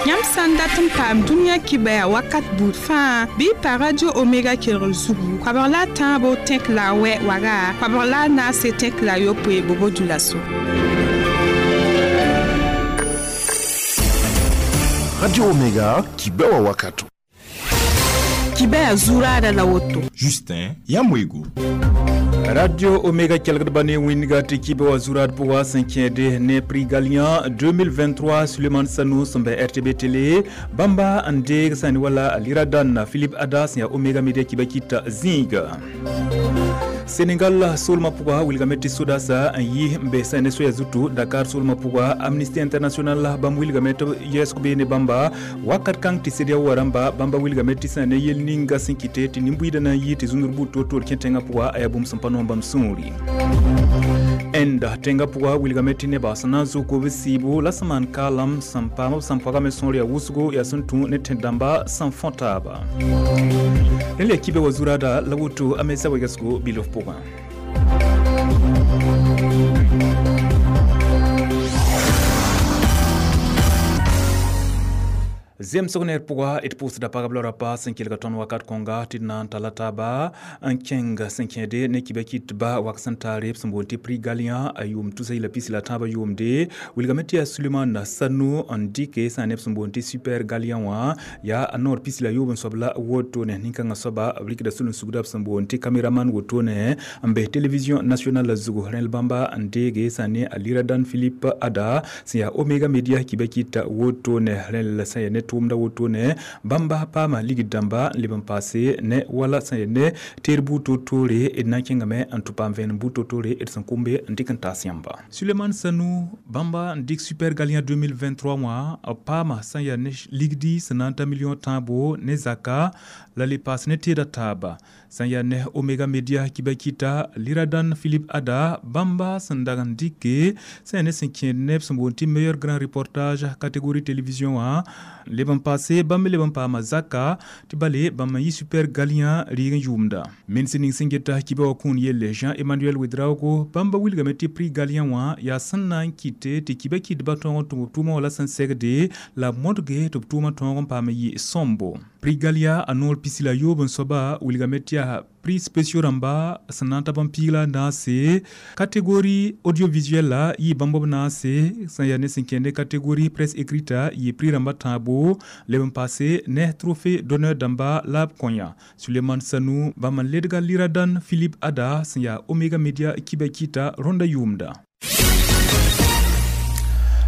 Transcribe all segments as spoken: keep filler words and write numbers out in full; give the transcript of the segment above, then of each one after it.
Yãmb sã n dat n paam dũniyã kibɛa wakat buud fãa bɩ y pa Radio Omega kelgr zugu koabg la a tãabo tẽk la a wɛ waga koabg la a naase tẽk la a yopoe bobo dulaso. Radio Omega kibɛwa wakato. Kibɛa zuraada la woto. Justin Yamwego. Radio Omega kelgdba ne wĩnga tɩ kibã wa zurad pʋga sẽn kẽede ne Prix Galien deux mille vingt-trois Suleiman Sanou sẽn bɛ R T B Télé bãmba n deeg sã ne wala Liradan Philippe Ada sẽn yaa Omega Media kibã kɩta zĩiga. Sénégal solma pʋga wilgame tɩ sodasa n yi n be sã ne soya zutu Dakar solma pʋga Amnesty International bãmb wilgame tɩ b yɛɛsg bee ne bãmba wakat kãng tɩ CEDEAO wa rãmba bãmba wilgame tɩ sã ne yel ninga sẽn kɩte tɩ nin-buiidã na n yɩ tɩ zũnur buud toor-toor kẽ tẽngã pʋga a yaa bũmb sẽn pa noom bãmb sũuri. Inde tẽngã pʋga wilgame tɩ nebã sẽn na n zʋk b sɩɩbo la sẽn maan kaalam sẽn paam b sẽn pagame sõor yaa wʋsgo yaa sẽn tũ ne tẽn-dãmba sẽn fõ taaba. Rẽnd la kibã wa zuraada la woto a mesa wegsgo bilf pʋgã. Zemsg neer pʋga d pʋʋsda pagb la rapa sẽn kelga tõnd wakat kõnga tɩ d na n talla taaba n kẽng sẽn kẽede ne kibã kɩtba wak sẽn taare b sẽn boond tɩ Prix Galien a yʋʋm tusa yɩla pis la tãabã yʋʋmde wilgame tɩ yaa Suleiman Sanou n dɩke sã neb sẽn boond tɩ Super Galien wã yaa a noor pis la yoob n soab la wotone nin-kãngã soaba b rɩkda sul-n-sugda b sẽn boond tɩ caméraman wotone n bes télévision nationale zugu rẽl bãmba n deege sã ne a Liradan Philippe Ada sẽn yaa Omega Media kibã kɩta wotone rẽl sã yaa ne tʋʋmda wotone bãmba paama ligd dãmba n leb n paase ne wala sã yaa ne teer buud toor-toore d na n kẽngame n tɩ paam vẽenem buud toor-toore d sẽn kʋmbe n dɩk n taas yãmba. Suleiman Sanou bãmba n dɩk Super Galien deux mille vingt-trois wã b paama sã n yaa ne ligdi sẽn na n ta million tãabo ne zaka la le paas ne teeda taaba sã n yaa ne Omega Media kibã kɩta Liradan Philippe Ada bãmba sẽn dag n dɩke sã yaa ne sẽn kẽed neb sẽn boond tɩ meilleur grand reportage catégorie télévision wã leb n paase bãmb me leb n paama zaka tɩ bale bãmb n yɩ Super Galien rɩɩg n yʋʋmda. Mens ning sẽn geta kibã wa kũun yelle Jean-Emmanuel Ouedraogo bãmba wilgame tɩ Prix Galien wã yaa sẽn na n kɩte tɩ kibã kɩtbã tõog n tʋm b tʋʋmã wala sẽn segde la b modge tɩ b tʋʋmã tõog n paam n yɩ sõmbo. Prix Galien a noor pis la yoob n soaba wilgame tɩ yaa prix spéciaux rãmba sẽn na n ta bãmb piig la a naase catégorie audiovisuel la yɩ bãmb b naase sẽn yaa ne sẽn kẽende catégorie presse écrite yɩ prix rãmba tãabo leb n paase ne trophée d'honneur dãmba la b kõya. Suleiman Sanou bãmb n ledga Liradan Philippe Ada sẽn yaa Omega Media kibã kɩta rõnda yʋʋmda.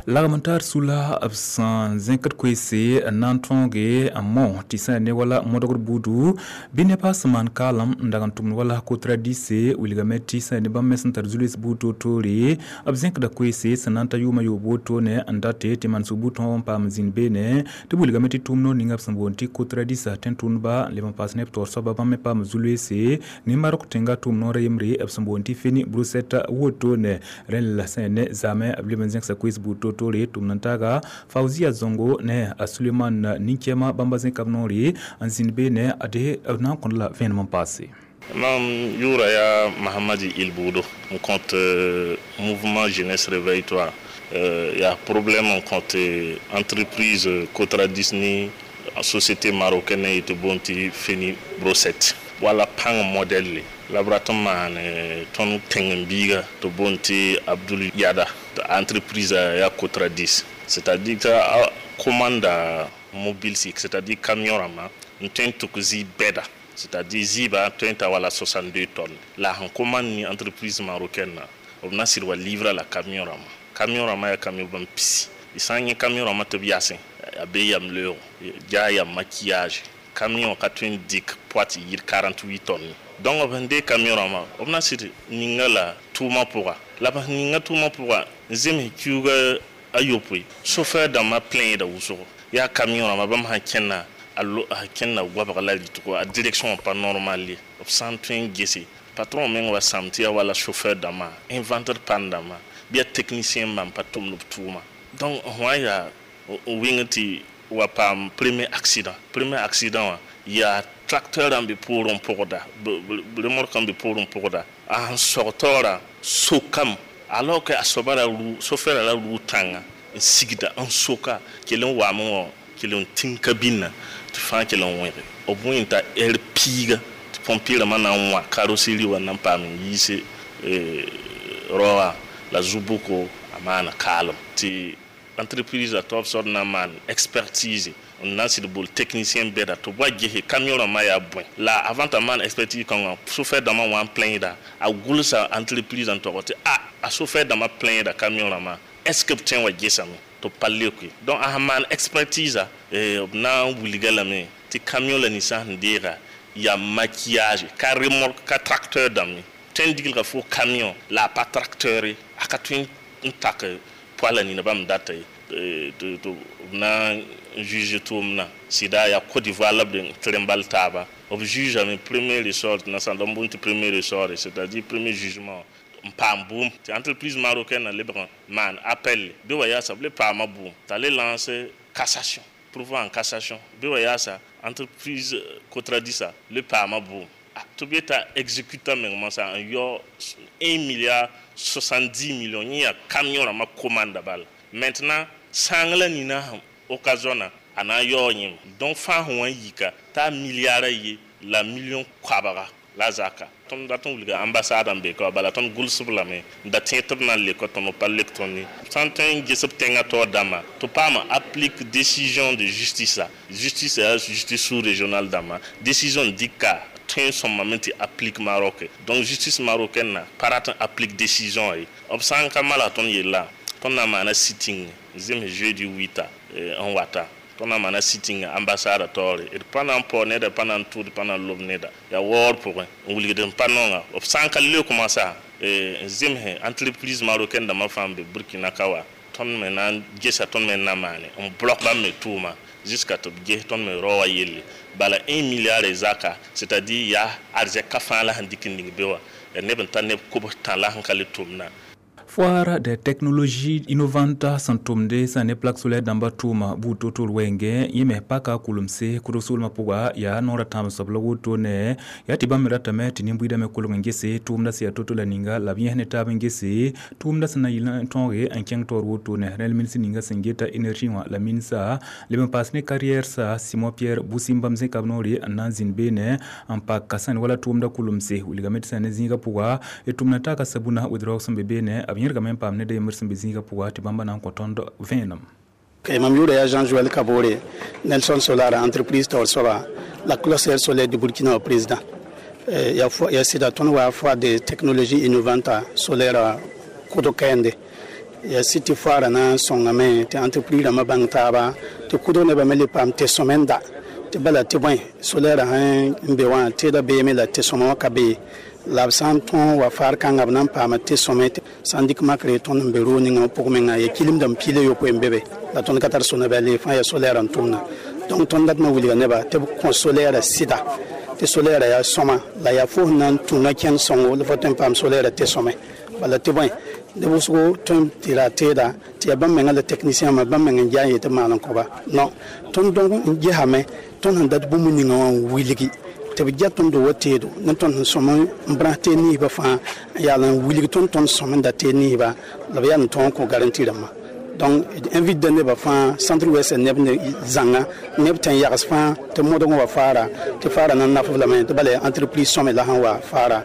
Lagm n tar sula b sẽn zẽkd koeese n na n tõoge n mao tɩ sã ne wala modgr buudu bɩ nebã sẽn maan kaalem n dag n tʋmd wala Cotradis wilgame tɩ sã ne bãmb me sẽn tar zu-loees buud toor-toore b zẽkda koeese sẽn na n ta yʋʋmã yoob wotone n date tɩ manesg buud tõog n paam zĩnd beene tɩ b wilgame tɩ tʋʋm noor ninga b sẽn boond tɩ Cotradis tẽn-tʋmdba n leb n paas neb taoor soaba bãmb me paam zu-loeese ne Marok tẽnga tʋʋm noorã yembre b sẽn boond tɩ Feni Brossette wotone rẽnd la sã ne zaamẽ b leb n zẽksa koees buud toor toore tʋm n taaga Fauzia Zongo ne a Suleiman nin-kɛɛma bãmba zẽka b noore n zĩnd beene ade b na n kõd la vẽenem n paase. Mam yʋʋra yaa Mahamadi Ilboudo n kõt mouvement Jeunesse Réveille-toi. Yaa problème n kõt entreprise Cotradis ni société marocaine yetɩ boond tɩ Feni Brossette wala pãng modèle la b rat n maan tõnd tẽng-n-biiga tɩ boond tɩ Abdoul Yada entreprise ya Cotradis, c'est-à-dire que commande mobile, c'est-à-dire camion rama n tõe n tʋk zɩ bɛda, c'est-à-dire zɩɩba tõe n ta wala soixante-deux tonnes la sẽn commande ni entreprise marocaine na b na sɩd wa livra la camion rama camion rama yaa camion bãmb pisi y sã n yẽ camion rama tɩ b yasẽ a be yam leoogo ja yam maquillage camion ka tõe n dɩk poids tɩ yɩɩd quarante-huit tonnes. Donc b sẽn deeg camion rãmbã b na sɩd ninga la tʋʋmã pʋga la b sẽn ninga tʋʋmã pʋga n zems kiuuga a yopoe chauffeur dãmbã plaindda wʋsgo yaa camion rãmbã bãmb sã kẽnna a kẽnna goabg la rɩtgo a direction pa normal ye b sã n tõe n gese patron meng wa sãm tɩ yaa wala chauffeur dãmbã inventeur pan dãmbã bɩ yaa technicien bãmb pa tʋmd b tʋʋma. Donc wã yaa wɩng tɩ wa paam premier accident premier accident wã yaa tracteur n be poorẽ pʋgda remorque n be poorẽ pʋgda a sẽn sog taoora sokame alors que a soaba ra rʋ chauffeur ra rʋ tãnga n sigda n soka kell n waame wã Kell n tĩng kabinã tɩ fãa kell n wẽge b wẽn t'a heure piiga tɩ pompier rãmbã na n wã carrosserie wã na n paam n yiise raoã la zu-bʋko a maana kaalem tɩ entreprise a taob soab na n maan expertise n na n sɩd bol technicien bɛda tɩ b wa gese camion rãmbã yaa bõe la avant t'a maan expertise kãngã chauffeur dãmbã wã n plaindra a gʋlsa entreprise n tog tɩ a a chauffeur dãmbã plaindra camion rãmbã est ce que b tõe n wa gesame tɩ b pa leoke donc a sẽn maan expertise b na n wilga lame tɩ camion la ninsã sẽn deega yaa maquillage ka remorque ka tracteur dãmb ye tõe n diglga fo camion la a pa tracteur ye a ka tõe n tak poa la nina bãmb data ye tɩ b na n juge tʋʋmdã sɩda yaa Côte d'Ivoire la b tɩ n bal taaba b jugeame premier ressort na sã n boond tɩ premier ressort c'est-à-dire premier jugement n paam bʋʋm tɩ entreprise marocaine na lebg n maan appel bɩ wa yaasa b le paama bʋʋm t'a le lance cassation pourvoi en cassation bɩ wa yaasa entreprise Cotradis le paama bʋʋm tɩ b yeta exécutant meng moasã n yao un milliard soixante-dix millions yẽ yaa camion rãmbã commande bala maintenant sãang la nina occasion a na n yaoo yẽm donc fãa sẽn wa n yika t'a milliard a ye la million koabga la zaka tõnd dat n wilga ambassade n be ka bala tõnd gʋlsb lame n da tẽ tɩ b na n leka tõnd b pa lek tõnd ye sã n tõe n ges b tẽngã taoor dãmbã tɩ paama applique décision de justice justice yaa justice sous régionale dãmbã décision dɩka tõe n sõmame tɩ applique Maroc donc justice marocaine na pa rat n applique décision ye b sã n ka malg tõnd yella tõnd na n maana sitting zems jeudi wɩta n wata tõnd na n maana sitting ambassade taoore d pa na n pao neda pa na n tʋʋd pa na n lob neda yaa waoor pʋgẽ n wilgd n pa nonga b sã n ka leok moasã n zemse entreprise marocaine dãmbã fãa n be Burkina ka wa tõnd me na n gesa tõnd me n na maane n bloc bãmb me tʋʋma jusqu'à tɩ b ges tõnd me rao wã yelle bala un milliard zaka c'est-à-dire yaa arzɛka fãa la sẽn dɩk n ning be wã yaa neb n tar neb kobs tã la sẽn ka le tʋmdã. Foire des technologies innovantes sẽn tʋmde sã ne plaque solaire dãmba tʋʋma buud to-to wɛɛngẽ yẽ me paka kʋlemse kʋdg soolmã pʋga yaa noorã tãab soab la wotone yaa tɩ bãmb me ratame tɩ nin-buiidã me kolg n gese tʋʋmdã sẽn yaa to-to la ninga la b yẽs ne taab n gese tʋʋmdã sẽn na yɩl n tõoge n kẽng taoor wotone rẽl mins ninga sẽn geta énergie wã la minsa leb n paas ne carrière sa Simon Pierre Boussimbam zẽka b noore n na n zĩnd beene n pak sãn wala tʋʋmdã kʋlemse wilgame tɩ sã ne zĩigã pʋga d tʋmna taaka sabuna wɩdrɔg sẽn be beene b yẽrgame n paam ned a yembr sẽn be zĩigã pʋga tɩ bãmba na n kõ tõnd vẽenem. Mam yʋʋra yaa Jean-Joël Kabore, Nelson Solar, entreprise taoor soaba la cluster solaire du Burkina président. Ya ya sɩda tõnd wa foire de technologie innovante solaire kʋdg kɛɛnde ya sɩd tɩ foaara na n sõngame tɩ entreprise rãmbã bãng taaba tɩ kʋdg nebã me le paam tɩ sõmenda tɩ bala tɩ bõe solaire sẽn n be wã teeda beeme la tɩ sõma wã ka be la b sã n tõe wa faar kãnga b na n paama tɩ sõme sã n dɩk makre tõnd n be roog ninga pʋg menga ya kilimdame piila yopoe n be be la tõnd ka tar sõna bɛl fãa yaa solaire n tʋmna donc tõnd datmã wilga neba tɩ b kõ solaire sɩda tɩ solaire yaa sõma la yaa fo sẽn na n tũna kẽnd sõngo la fo tõe n paam solaire tɩ sõme bala tɩ bõe neb wʋsgo tõe tɩ ra teeda tɩ yaa bãmb menga la technicien wã bãmb meng n ja n yetɩ maan n kõba non tõnd dõg n gesame tõnd sẽn dat bũmb ninga wã n wilgi tɩ b ja tõnd wa teedo ne tõnd sẽn sõm n brãs teed ninsbã fãa n yaal n wilg tõnd tõnd sõm n da teed ninsba la b yaa n tõog n kõ garantie rãmbã donc invite da nebã fãa centre ouest neb ne zãnga neb tẽn yags fãa tɩ modg n wa faara tɩ faara na n naf b lame tɩ bala entreprise sõme la sẽn wa faara.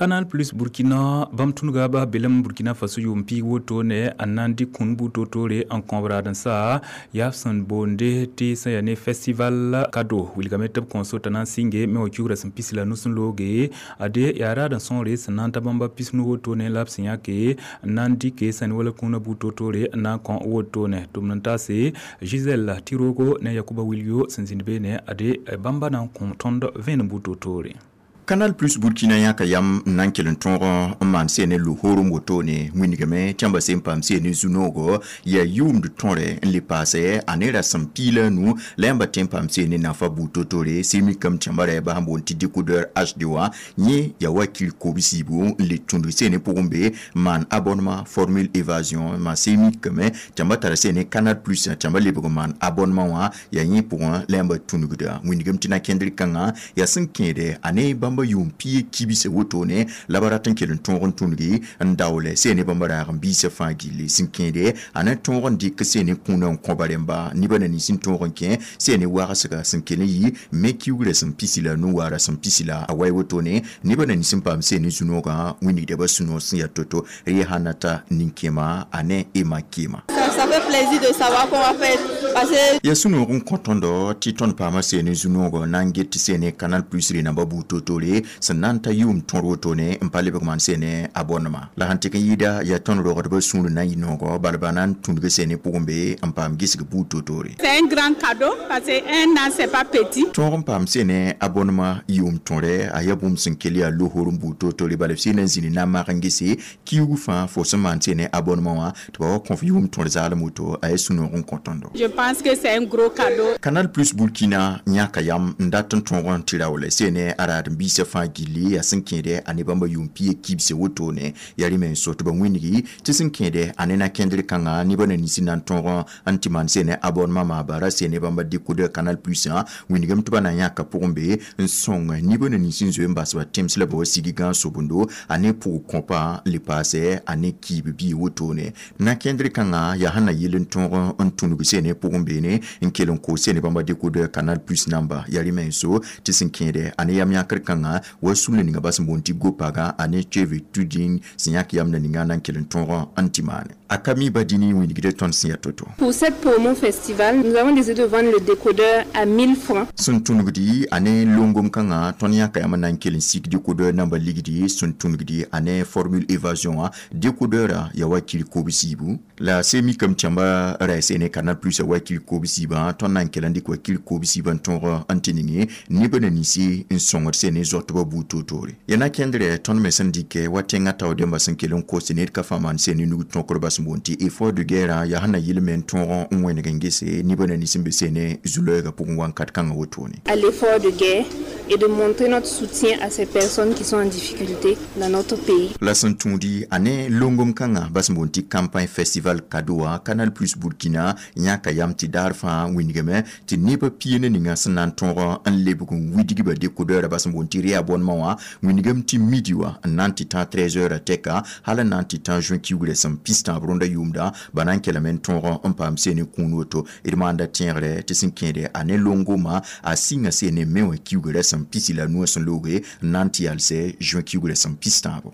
Canal Plus Burkina bãmb tũnuga bas belem Burkina Faso yʋʋm piig wotone n na n dɩk kũn buud to-toore n kõb raad-n-sa yaa b sẽn boonde tɩ sẽn yaa ne festival cadeau wilgame tɩ b kõ sota na n sɩnge me wa kiugrã sẽn pis la nus n looge ade yaa raad n sõore sẽn na n ta bãmba pisnu wotone la b sẽn yãke n na n dɩke sẽn wala kũunã buud to-toore n na n kõ wotone tʋmd n taase Gisèle Tirogo ne Yakuba Wilio sẽn zĩnd beene ade bãmba na n kõ tõnd vẽenem buud to-toore. Canal Plus Burkina yãka yam n na n kell n tõog n maan sẽne lohoorem wotone wĩnigame tɩ yãmba sẽn paam sẽne zu-noogo yaa yʋʋmd tõre n le paase a ne rasem piig la a nu la yãmba tõe n paam sẽne nafa buud to-tore sẽn mikame tɩ yãmba rɛɛba sẽn boond tɩ décodeur H D wã yẽ yaa wa kir kobs-yiibu n le tũnd sẽne pʋgẽ be maan abonnement formule évasion maan sẽn mikame tɩ yãmba tara sẽne Canal Plus tɩ yãmba lebg n maan abonnement wã yaa yẽ pʋgẽ la yãmba tũnugda wĩnigame tɩ na kẽndr kãngã yaa sẽn kẽede a ne bãmb. bãmba yʋʋm pia kibse wotone la ba rat n kell n tõog n tũngi n daoole seene bãmba raag n biisã fãa gilli sẽn kẽede a na tõog n dɩk seene kũunã n kõba rẽmba nebã na nins n tõog n kẽ seene wagsga sẽn kell n yɩ me kiugrã sẽn pisi la nu-waara sẽn pisi la a wai wotone nebã na nins n paam seene zu-noogã wĩnigda ba sũ-noog sẽn yaa to-to rɩ sãn na ta nin-kẽema a ne ema kema. Ça fait plaisir de savoir qu'on va faire passer. Ya sũ-noog n kõ tõndo tɩ tõnd paama seene zu-noogã na n get tɩ seene Canal Plus rẽnamba buud toor-toore sẽn na n ta yʋʋm tõr wotone n pa lebg maan seene a bõnema la sãn tɩk n yɩɩda yaa tõnd rogdbã sũur na n yɩ noogɔ bala ba na n tũudg seene pʋgẽ be n paam gesg buud toor-toore. C'est un grand cadeau parce que un an c'est pas petit. Tõog n paam seene a bõnema yʋʋm tõre a yaa bũmb sẽn kell yaa lohor n buud toor-toore bala b sẽn na n zĩni na n mak n gese kiuug fãa fo sẽn maan seene abonnement wã tɩ ba wa kõ f yʋʋm tõr zaalem woto a yaa sũ-noog n kõ tõndo. Je pense que c'est un gros cadeau. Canal Plus Burkina yãka yam n dat n tõog n tɩ raoole seene a raad n biisã fãa gilli yaa sẽn kẽede a ne bãmba yʋʋm pia kibse wotone yaa rẽ me n so tɩ ba wĩnigi tɩ sẽn kẽede a ne na-kẽndr kãngã nebã na nins na n tõog n tɩ maan seene abonnement maaba ra seene bãmba décodeur Canal Plus ã wĩnigame tɩ ba na yãka pʋgẽ be n sõng nebã na nins n zoe n bas ba tẽms la ba wa sig gãag sobundo a ne pʋg kõpa n le paasɛ a ne kiib bii wotone na-kẽndr kãngã yaa sẽn na yɩl n tõog n tũnug seene pʋgẽ beene n kell n koos seene bãmba décodeur Canal Plus namba yaa rẽ me n so tɩ sẽn kẽede a ne yam yãkr kãngã wa sũla ninga ba sẽn boond tɩ gopaga a ne teve tuding sẽn yãk yamda ninga na n kell n tõog n tɩ maane a ka mi badini wĩnigd tõnd sẽn yaa to-to. Pour cette promo festival, nous avons décidé de vendre le décodeur à mille francs. Sẽn tũnugdi a ne longom kãngã tõnd yãka yam n na n kell n sik décodeur namba ligdi sẽn tũnugdi a ne formule évasion wã décodeur yaa wa kir kob-siibu la se mikame tɩ yãmba ra seene Canal Plus a wa kir kob-siibã tõnd na n kell n dɩk wa kir kob-siibã n tõog n tɩ ninge nebã na ninsi n sõngd seene zoatbã buud toor-toore yaa na-kẽndrɛ tõnd me sẽn dɩkɛ wa tẽngã tao dẽmba sẽn kell n kos tɩ ned ka fãa maan seene nug tõkrba sẽn boond tɩ effort de guerre yaa sẽn na yɩl me n tõog n wẽneg n gese nebã na nins n be seene zu-loɛɛgã pʋgẽ wãnkat kãngã wotone. À l'effort de guerre et de montrer notre soutien à ces personnes qui sont en difficulté dans notre pays. La sẽn tũudi a ne longom kãngã ba sẽn boond tɩ campagne festival cadeau wã Canal Plus Burkina yãka yam tɩ daar fãa wĩnigame tɩ nebã pia ne ninga sẽn na n tõog n lebg n widgba décodeur ba sẽn boond tɩ réabonnement wã wĩnigame tɩ midi wã n na n tɩ tã treize heures tɛka hal n na n tɩ tã juin kiugrã sẽn pis-tãab rõnda yʋʋmda ba na n kelame n tõog n paam seene kũun woto d maanda tẽegre tɩ sẽn kẽede a ne longomã a sɩnga seene me wã kiugrã sẽn pisi la nuã sẽn looge n na n tɩ yalsɛ juin kiugrã sẽn pis-tãabo.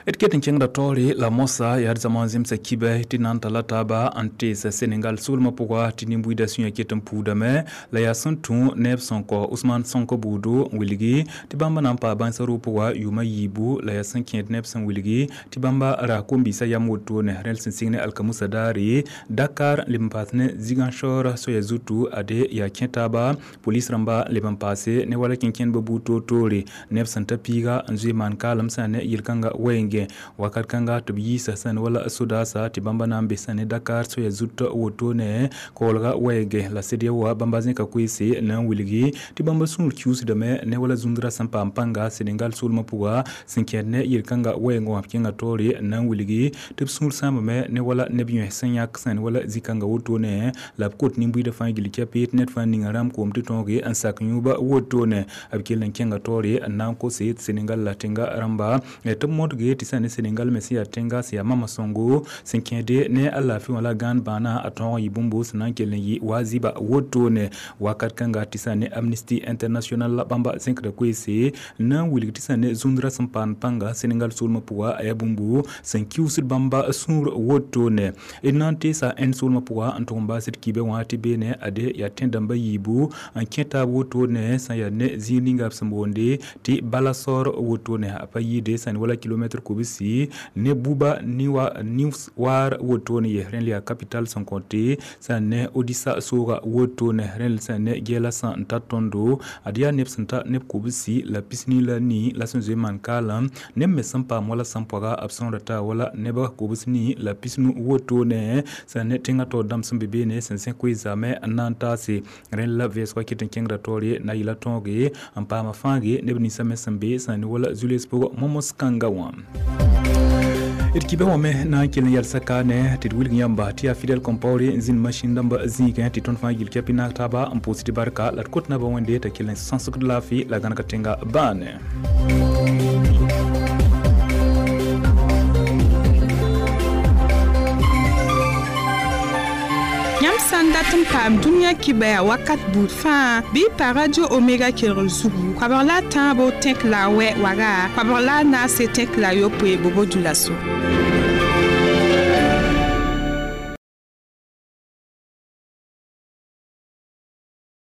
D ket n kẽngda taoore la mosa yaa d zãma n zemsa kibɛ tɩ na n talla taaba n teesa Senegal soolmã pʋga tɩ nin-buiidã sũyã ket n puudame la yaa sẽn tũ neb sẽn kɔ Ousmane Sonko buudo n wilgi tɩ bãmba na n paa bãnsa roog pʋga yʋʋmã yiibu la yaa sẽn kẽed neb sẽn wilgi tɩ bãmba ra kom-biisã yam wotone rẽl sẽn sɩng ne alkamusa daare Dakar n leb n paas ne Ziguinchor soaya zutu ade yaa kẽ taaba polis rãmba n leb n paase ne wala kẽnkẽndbã buud toor-toore neb sẽn ta piiga n zoe maan kaalem sã ne yel-kãnga wɛɛngẽ wakat kãnga tɩ b yiisa sẽn wala sodaasa tɩ bãmba na n be sẽn ne Dakar soaya zut wotone koolga wɛɛgẽ la sed ya wa bãmba zẽka koeese na n wilgi tɩ bãmba sũur kiusdame ne wala zũndrã sẽn paam pãnga Senegal soolmã pʋga sẽn kẽed ne yel-kãnga wɛɛngẽ wã b kẽnga taoore na n wilgi tɩ b sũur sãambame ne wala neb yões sẽn yãk sẽn wala zĩ-kãnga wotone la b kot nin-buiidã fãa gill kɛpɩ tɩ ned fãa ninga rãmb koom tɩ tõoge n sak yũuba wotone b kell n kẽnga taoore n na n kose tɩ Senegal la tẽnga rãmba tɩ b modge tɩ sã ne Senegal me sẽn yaa tẽnga sẽn yaa mama sõngo sẽn kẽede ne a laafɩ wã la gãan bãana a tõog n yɩ bũmbo sẽn na n kell n yɩ wa zɩba wotone wakat kãnga tɩ sã ne Amnesty International la bãmba zẽkda koeese na n wilg tɩ sã ne zũndrã sẽn paam pãnga Senegal soolmã pʋga a yaa bũmbu sẽn kiusd bãmba sũur wotone d na n teesa Inde soolmã pʋga n tʋg n baasd kiibã wã tɩ beene ade yaa tẽ-dãmba yiibu n kẽ taab wotone sã yaa ne zĩig ninga b sẽn boonde tɩ Balasor wotone a pa yɩɩde sã ne wala kilomɛtr kobsi ne buba niwa niwar wotone ye rẽnd yaa capital sẽn kõte sã ne Odisa sooga wotone rẽnd sã ne gɛɛla sã n ta tõndo ad yaa neb sẽn ta neb kobsi la pisni la nii la sẽn zoe maan kaalem neb me sẽn paam wala sẽn pɔga b sõora taa wala neba kobs nii la pisnu wotone sã ne tẽngã taoor dãmb sẽn be beene sẽn sẽ koe zaamẽ n na n taase rẽnd la vɛɛsgã ket n kẽngda taoore na yɩla tõoge n paama fãage neb ninsã me sẽn be sã ne wala zu-les pʋgã momos kãnga wã. D kibã wã me na n kell n yɛlsa kaane tɩ d wilg yãmba tɩ yaa Fidèle Compaoré n zĩnd masĩn dãmb zĩigẽ tɩ tõnd fãa yil kɛpɩ naag taaba n pʋʋs tɩ barka la d kot naba Wẽnde t'a kell n sãsgd laafɩ la gãneg tẽnga bãane. Yãmb sã n dat n paam dũniyã kibaya wakat buud fãa, bɩ y pa Radio Omega kelgr zugu, koabg la a tãabo tẽk la a wɛ waga, koabg la a naase tẽk la a yopoe bobo dioulasso.